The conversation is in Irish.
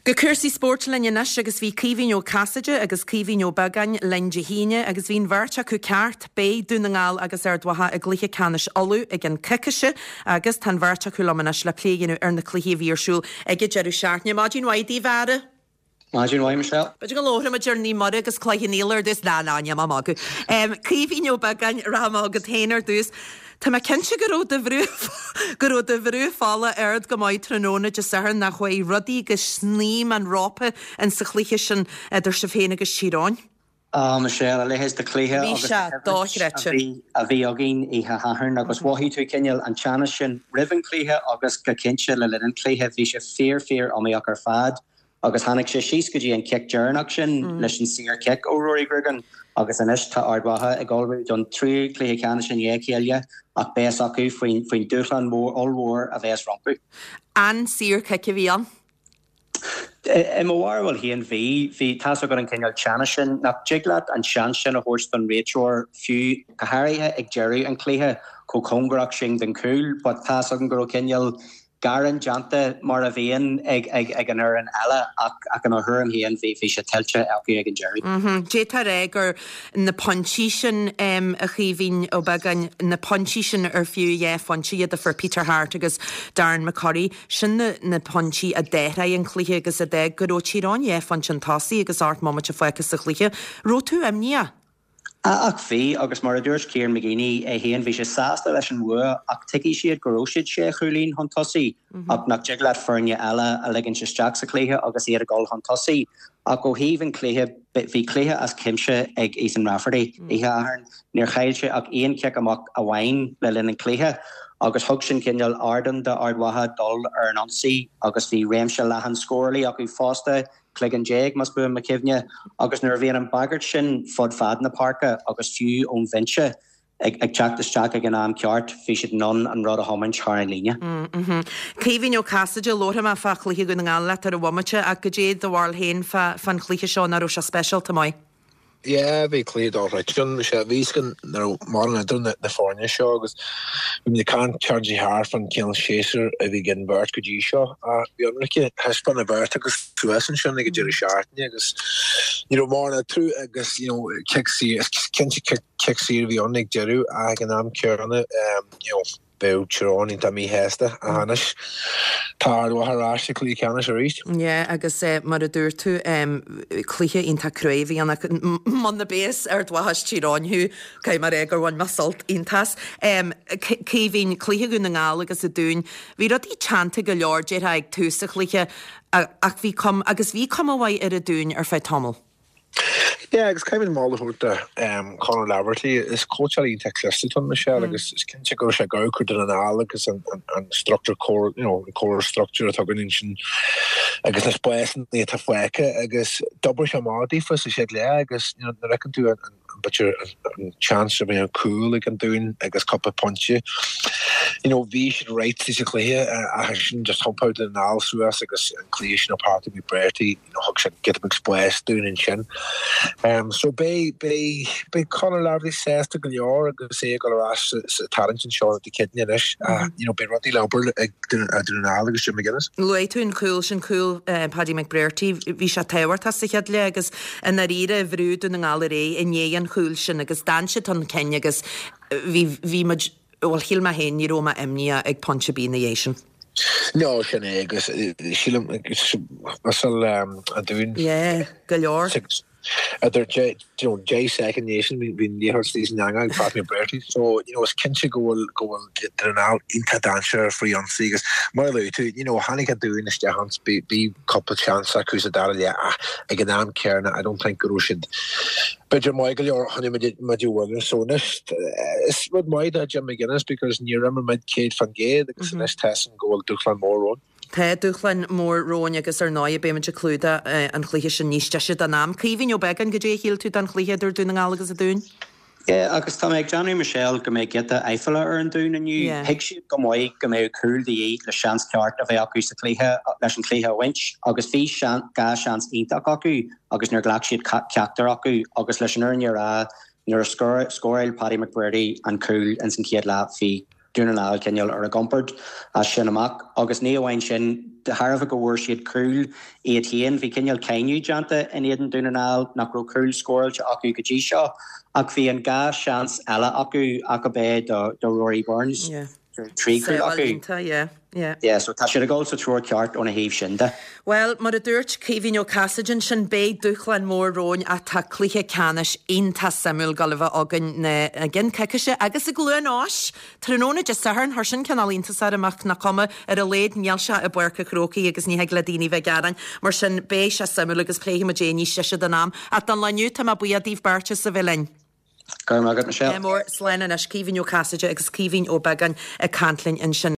Go cúrsaí spóirt linn anois agus bhí Caoimhín Ó Casaide agus Caoimhín Ó Beagáin linn Dé hAoine agus bhí an bheirt acu ceart. Beidh Dún na nGall agus Ard Mhacha i gcluiche ceannais Uladh i gceann coicíse agus tá an bheirt acu liom anois le plé a dhéanamh ar na cluichí a bhí ar siúl ag an deireadh seachtaine. Maidin mhaith daoibh, a fheara. Maidin mhaith, Michelle. B'fhéidir go labhróidh muid ar Naomh Muire agus Cloich Cheann Fhaola ar dtús. Ná, ná, níl mé ag magadh. Caoimhín Ó Beagáin, rachaidh mé chugat féin ar dtús. Tá mé cinnte go raibh do bhrú, go raibh do bhrú fola ard go maith tráthnóna Dé Sathairn nach chuaigh rudaí go snaidhm an rópa in sa chluiche sin idir sibh féin agus Tír Eoghain. Á, Michelle, a leithéid de chluiche Bhí agus sé de choimhlint dochreidte. a bhí, a bhí againn oíche Shathairn agus mhothaigh tú cineál an teannas sin roimh an chluiche agus go cinnte le linn an chluiche. Bhí sé fíor, fíor iomaíoch ar fad. Agus tháinig sé síos go dtí an cic deireanach sin leis an saor chic ó Rory Grugan agus anois tá Ard Mhacha ag ullmhú don tríú cluiche ceannais i ndiaidh a chéile ach beidh a fhios acu faoin faoin dúshlán mór ollmhór a bheas rompu. An saor cic a bhí ann? I mo bharúil féin bhí. Bhí, tá's agat an cineál teannais sin nach dtig leat an seans sin a thabhairt don réiteoir fiú go háirithe ag deireadh an chluiche chomh cóngarach sin don chúl but tá's agam go raibh cineál gearán déanta mar a bhíonn ag an fhoireann eile ach i mo thuairim féin bhí sé tuillte acu ag an deireadh. D'fhéadfá a rá gur na pointí sin, a Chaoimhín Ó Beagáin, na pointí sin ar fiú dhá phointe iad a fuair Peter Harte agus Darren McCurry, sin na pointí a d'athraigh an cluiche agus a d'fhág go raibh Tír Eoghain dhá phointe chun tosaigh agus 8 mbomaite fágtha sa chluiche. Raibh tú imníoch? Ach bhí, agus mar a dúirt Kieran McGeeney é féin, bhí sé sásta leis an bhua ach tuigfidh siad go raibh siad sé chúilín chun tosaigh ach nach dtig leat foirne eile a ligint isteach sa chluiche agus iad ag dul chun tosaigh. Ach ó thaobh an chluiche, bhí cluiche as cuimse ag Ethan Rafferty oíche Shathairn. Níor chaill sé ach aon chic amach amháin le linn an chluiche agus thug sin cineál ardán d'Ard Mhacha dul ar an ionsaí agus bhí réimse leathan scórálaí acu fosta. cloigeann más buan mo chuimhne, agus nuair a bhíonn an bhagairt sin fud fad na páirce agus fiú ón bhinse ag teacht isteach ag an am ceart, bhí siad in ann an rud a thiomáint thar an líne. Caoimhín Ó Casaide, labharfaidh mé fá chluiche Dhún na nGall leat ar an bhomaite, ach goidé do bharúil féin fán chluiche seo, nach raibh sé speisialta maith? Yeah, bhí cluiche dochreidte ann. Bhí sé, bhí a fhios againn nach raibh mórán idir na na foirne seo agus bhí muid ag caint TG thart fán cineál séasúr a bhí ag an bheirt go dtí seo. Ach bhí ionraice, thaispeáin an bheirt acu suas ansin ag an deireadh seachtaine agus ní raibh mórán eatarthu agus you know cic saor, is cinnte cic cic saor a bhí ann ag deireadh ach ag an am céanna you know Bheadh Tír Eoghain iontach míshásta ach anois tá Ard Mhacha ar ais sa chluiche ceannais arís. Yeah agus mar a dúirt tú cluiche iontach cruaidh a bhí ann ach muna mbeadh Ard Mhacha is Tír Eoghain thú caithfidh mé a rá gur bhain mé sult iontach as. Caoimhín, cluiche Dhún na nGall agus an Dúin, bhí rudaí teannta go leor déarfá ag tús an chluiche ach bhí cuma agus bhí cuma mhaith ar an Dún ar feadh tamaill. Yeah, agus caithfimid moladh a thabhairt do Conor Laverty. Is cóitseálaí iontach cliste atá ann, Michelle, agus is cinnte go raibh sé ag amharc ar Dún na nGall agus an structure core, you know, an core structure atá againn ansin agus na spásanna atá fágtha agus d'oibrigh sé amach daofa sa chéad leath agus you know, nuair a fheiceann tú an b'fhéidir an chance a bhí an cúl ag an Dún agus cúpla pointe, you know, bhí siad right sa chluiche ach ansin just thiompaigh Dún na nGall suas agus an cluiche sin ó Patrick McBrearty Thug sé giota beag spáis dúinn ansin. So beidh, beidh, beidh Conor Laverty sásta go leor agus é ag dul ar ais sa tarraingt anseo Dé Céadaoin anois. You know, beidh rudaí le obair ag Dún na nGall agus Jim McGuinness. Luaigh tú an cúl sin, cúl Paddy McBrearty. Bhí sé tábhachtach sa chéad leath agus i ndáiríre bhrúigh Dún na nGall ar aghaidh i ndiaidh an chúil sin agus d'fhan siad chun cinn agus bhí, bhí muid, Bhuel, shíl mé féin, ní raibh mé imníoch ag pointe ar bith ina dhiaidh sin. No, sin é, agus sílim, whistle an Dúin. Yeah, go leor. Idir you know, 10 soicind ina dhiaidh sin, bhí an liathróid istigh san eangach ag Pat McBrearty. So, you know, is cinnte go bhfuil, go bhfuil Dún na nGall iontach dainséarach faoi ionsaí agus mar a luaigh tú, you know, tháinig an Dún isteach ann, bhí cúpla chance acu sa dara leath ach ag an am céanna, I don't think go raibh siad B'fhéidir maith go leor chun muid a bhualadh. So anois is rud maith do Jim McGuinness because níor imir muid 100% agus anois tá a fhios againn go bhfuil dúshlán mór romhainn. Tá dúshlán mór romhainn agus ar ndóigh beidh muid ag clúdach an chluiche sin níos deise don am. Caoimhín Ó Beagáin, goidé a shíl tú den chluiche idir Dún na nGall agus an Dún? Yeah, agus tá mé ag déanamh, Michelle, go mbeidh giota aiféala ar an Dún inniu. Yeah. Thuig siad go maith go mbeadh cúl de dhíth le seans ceart a bheith acu sa chluiche, leis an chluiche a bhaint agus bhí dhá seans iontach acu agus níor ghlac siad ceachtar acu agus leis an fhírinne a rá, nuair a scóráil Paddy McBrearty an cúl ins an chéad leath, bhí. Dún na nGall cineál ar a gcompord as sin amach agus ní amháin sin, de thairbhe go bhfuair siad cúl iad féin, bhí cineál cáineadh déanta in éadan Dún na nGall nach raibh cúl scóráilte acu go dtí seo ach bhí an dá sheans eile acu ach ab é do Rory Burns. 3 cúl acu. Yeah, so tá siad ag dul sa treo ceart óna thaobh sin de. Bhuel, mar a dúirt Caoimhín Ó Casaide ansin, beidh dúshlán mór romhainn ach tá cluiche ceannais iontach suimiúil ag dul a bheith againn i gceann coicíse agus i gCluain Eois tráthnóna Dé Sathairn. Chuir sin cineál iontas orm ach nach cuma, ar a laghad níl sé i bPáirc an Chrócaigh agus ní thig le daoine bheith ag gearán. Mar sin, beidh sé suimiúil agus pléifidh muid é níos deise den am. Ach don lá inniu, tá mé buíoch daoibh beirt as a bheith linn. Go raibh maith agat, Michelle. Mór, slán anois, Caoimhín Ó Casaide agus Caoimhín Ó Beagáin ag caint linn ansin.